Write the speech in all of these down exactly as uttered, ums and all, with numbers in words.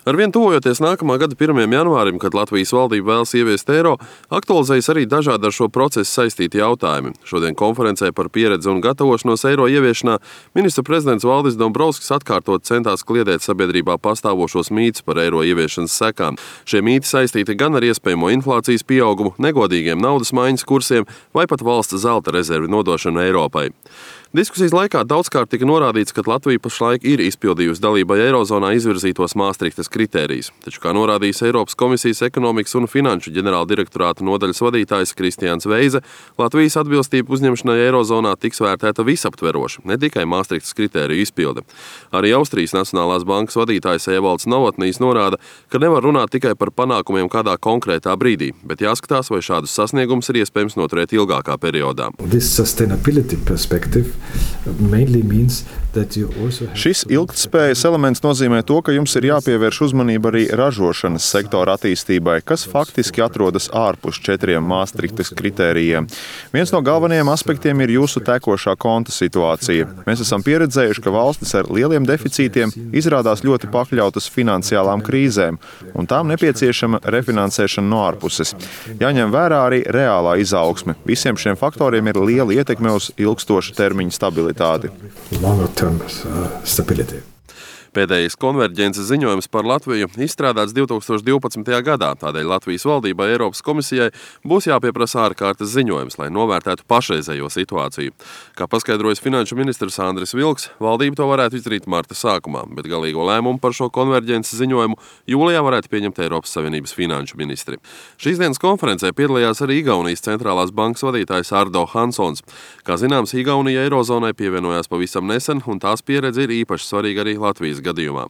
Arvien tuvojoties nākamā gada pirmajam janvārim, kad Latvijas valdība vēlas ieviest eiro, aktualizējas arī dažādi ar šo procesu saistīti jautājumi. Šodien konferencē par pieredzi un gatavošanos eiro ieviešanā ministra prezidents Valdis Dombrovskis atkārtot centās kliedēt sabiedrībā pastāvošos mītus par eiro ieviešanas sekām. Šie mīti saistīti gan ar iespējamo inflācijas pieaugumu, negodīgiem naudas maiņas kursiem vai pat valsts zelta rezervi nodošanu Eiropai. Diskusijas laikā daudzkārt tika norādīts, ka Latvija pašlaik ir izpildījusi dalībai Eirozonā izvirzītos Māstrihtas kritērijus. Taču, kā norādījis Eiropas komisijas ekonomikas un finanšu ģenerāldirektorāta nodaļas vadītājs Kristiāns Veize, Latvijas atbilstība uzņemšanai Eirozonā tiks vērtēta visaptveroši, ne tikai Māstrihtas kritēriju izpilde. Arī Austrijas Nacionālās bankas vadītājs Evalds Novotnijs norāda, ka nevar runāt tikai par panākumiem kādā konkrētā brīdī, bet jāskatās, vai šādus sasniegumus ir iespējams noturēt ilgākā periodā. Šis ilgtspējas elements nozīmē to, ka jums ir jāpievērš uzmanība arī ražošanas sektora attīstībai, kas faktiski atrodas ārpus četriem Māstrihtas kritērijiem. Viens no galvenajiem aspektiem ir jūsu tekošā konta situācija. Mēs esam pieredzējuši, ka valstis ar lieliem deficītiem izrādās ļoti pakļautas finansiālām krīzēm, un tām nepieciešama refinansēšana no ārpuses. Jāņem vērā arī reālā izaugsme. Visiem šiem faktoriem ir liela ietekme uz ilgstoša termiņa stabilitāti. Pēdējais konverģences ziņojums par Latviju izstrādāts divi tūkstoši divpadsmitajā gadā, tādēļ Latvijas valdībai Eiropas komisijai būs jāpieprasa ārkārtas ziņojums, lai novērtētu pašreizējo situāciju. Kā paskaidrojas finanšu ministrs Andris Vilks, valdība to varētu izdarīt marta sākumā, bet galīgo lēmumu par šo konverģences ziņojumu jūlijā varētu pieņemt Eiropas Savienības finanšu ministri. Šīs dienas konferencē piedalījās arī Igaunijas centrālās bankas vadītājs Ardo Hansons. Kā zināms, Igaunija Eirozonai pievienojās pavisam nesen, un tās pieredze ir īpaši svarīga arī Latvijas gadījumā.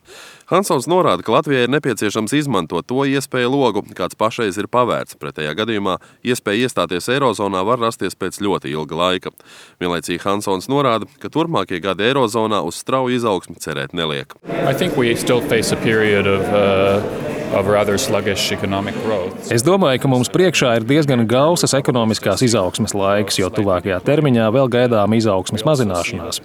Hansons norāda, ka Latvijai ir nepieciešams izmantot to iespēju logu, kāds pašreiz ir pavērts. Pretējā gadījumā iespēja iestāties Eirozonā var rasties pēc ļoti ilga laika. Vienlaicīgi Hansons norāda, ka turpmākie gadi Eirozonā uz strauju izaugsmi cerēt neliek. Es domāju, ka mums priekšā ir diezgan gausas ekonomiskās izaugsmes laiks, jo tuvākajā termiņā vēl gaidām izaugsmes mazināšanās.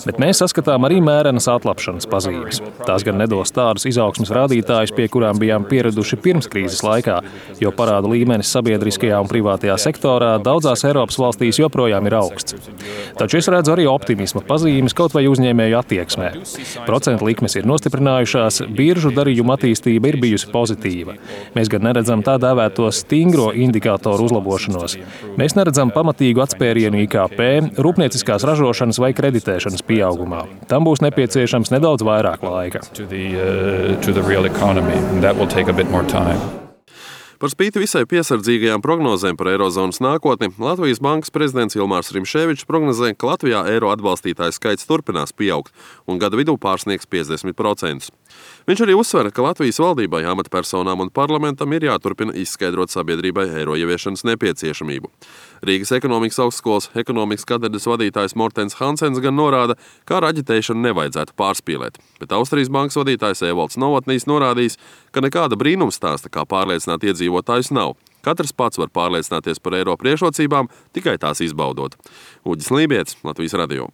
Bet mēs saskatām arī mērenas atlapšanas pazīmes. Tās gan nedos tādus izaugsmes rādītājus, pie kurām bijām pieraduši pirms krīzes laikā, jo parādu līmenis sabiedriskajā un privātajā sektorā daudzās Eiropas valstīs joprojām ir augsts. Taču es redzu arī optimisma pazīmes kaut vai uzņēmēju attieksmē. Procentu likmes ir nostiprinājušās, biržu darījumu attīstība ir bijusi pozitīva. Mēs gan neredzam tā dēvēto stingro indikātoru uzlabošanos. Mēs neredzam pamatīgu atspērienu I K P, rūpnieciskās ražošanas vai kreditēšanas pieaugumā. Tam būs nepieciešams nedaudz vairāk laika. Par spīti visai piesardzīgajām prognozēm par Eirozonas nākotni, Latvijas bankas prezidents Ilmārs Rimšēvičs prognozē, ka Latvijā eiro atbalstītāju skaits turpinās pieaugt un gada vidū pārsniegs piecdesmit procentus. Viņš arī uzsver, ka Latvijas valdībai, amatpersonām un parlamentam ir jāturpina izskaidrot sabiedrībai eiro ieviešanas nepieciešamību. Rīgas ekonomikas augstskolas ekonomikas katedras vadītājs Mortens Hansens gan norāda, ka ar aģitēšanu nevajadzētu pārspīlēt, bet Austrijas bankas vadītājs Evalds Novotnijs norādījis, ka nekāda brīnumstāsta, kā pārliecināt iedzīvotājus nav. Katrs pats var pārliecināties par eiro priekšrocībām, tikai tās izbaudot. Uģis Lībietis, Latvijas radio.